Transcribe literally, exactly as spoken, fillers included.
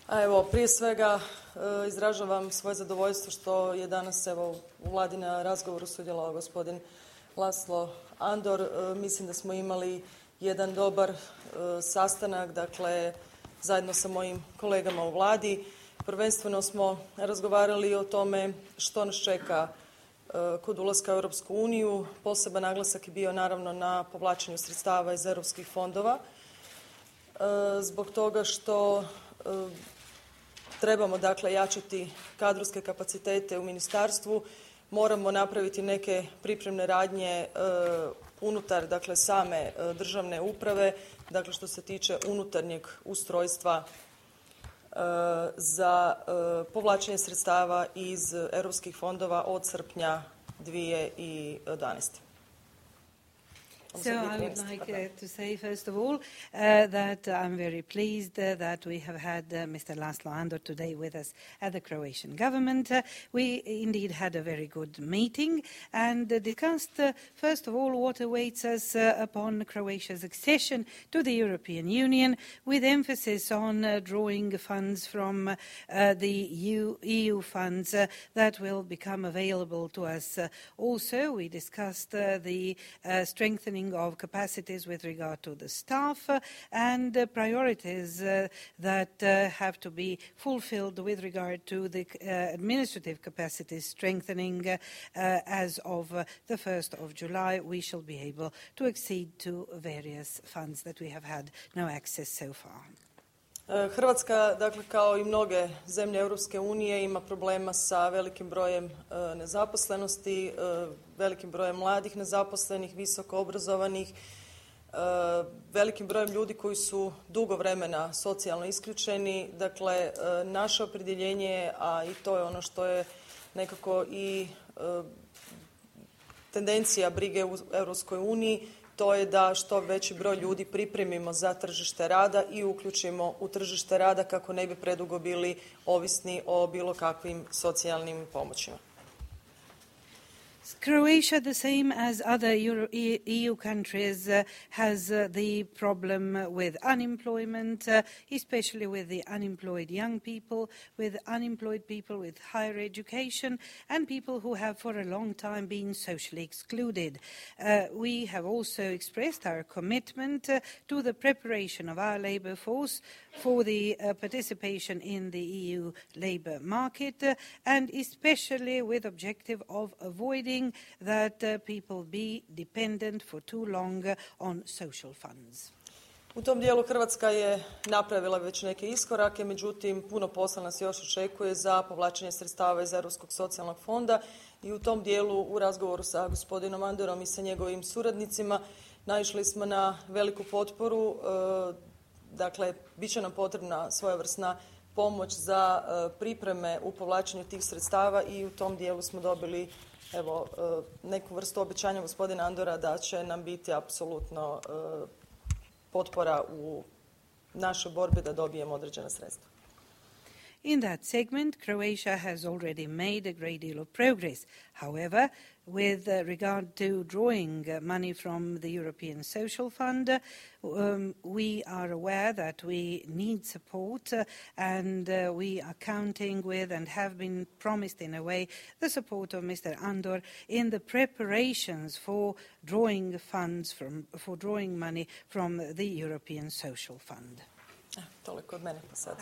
A evo, prije svega e, izražavam svoje zadovoljstvo što je danas evo, u vladi na razgovoru sudjelovao gospodin Laslo Andor. E, mislim da smo imali jedan dobar e, sastanak, dakle, zajedno sa mojim kolegama u vladi. Prvenstveno smo razgovarali o tome što nas čeka e, kod ulaska u Europsku uniju. Poseban naglasak je bio naravno na povlačenju sredstava iz europskih fondova. E, zbog toga što e, trebamo dakle jačati kadrovske kapacitete u ministarstvu, moramo napraviti neke pripremne radnje e, unutar dakle same e, državne uprave, dakle što se tiče unutarnjeg ustrojstva e, za e, povlačenje sredstava iz europskih fondova od srpnja dvije tisuće jedanaeste. So I would like uh, to say, first of all, uh, that I'm very pleased uh, that we have had uh, Mister Laslo Andor today with us at the Croatian government. Uh, we indeed had a very good meeting and uh, discussed, uh, first of all, what awaits us uh, upon Croatia's accession to the European Union, with emphasis on uh, drawing funds from uh, the E U funds uh, that will become available to us. Uh, also, we discussed uh, the uh, strengthening of capacities with regard to the staff uh, and uh, priorities uh, that uh, have to be fulfilled with regard to the uh, administrative capacities strengthening. Uh, uh, as of uh, the first of July, we shall be able to accede to various funds that we have had no access so far. Hrvatska, dakle, kao i mnoge zemlje Europske unije, ima problema sa velikim brojem e, nezaposlenosti, e, velikim brojem mladih nezaposlenih, visoko obrazovanih, e, velikim brojem ljudi koji su dugo vremena socijalno isključeni. Dakle, e, naše opredjeljenje, a i to je ono što je nekako i e, tendencija brige u Europskoj uniji, to je da što veći broj ljudi pripremimo za tržište rada i uključimo u tržište rada kako ne bi predugo bili ovisni o bilo kakvim socijalnim pomoćima. Croatia, the same as other Euro E U countries, uh, has uh, the problem with unemployment, uh, especially with the unemployed young people, with unemployed people with higher education, and people who have for a long time been socially excluded. Uh, we have also expressed our commitment uh, to the preparation of our labour force for the uh, participation in the E U labour market, uh, and especially with objective of avoiding that uh, people be dependent for too long uh, on social funds. U tom dijelu Hrvatska je napravila već neke iskorake, međutim puno posla nas još očekuje za povlačenje sredstava iz Europskog socijalnog fonda i u tom dijelu u razgovoru sa gospodinom Andorom i sa njegovim suradnicima naišli smo na veliku potporu. E, dakle, bit će nam potrebna svojevrsna pomoć za e, pripreme u povlačenju tih sredstava i u tom dijelu smo dobili evo, neku vrstu obećanja gospodina Andora da će nam biti apsolutno potpora u našoj borbi da dobijemo određena sredstva. In that segment, Croatia has already made a great deal of progress. However, with uh, regard to drawing uh, money from the European Social Fund, uh, um, we are aware that we need support uh, and uh, we are counting with and have been promised in a way the support of Mister Andor in the preparations for drawing funds from, for drawing money from the European Social Fund. Toliko od mene pa sad.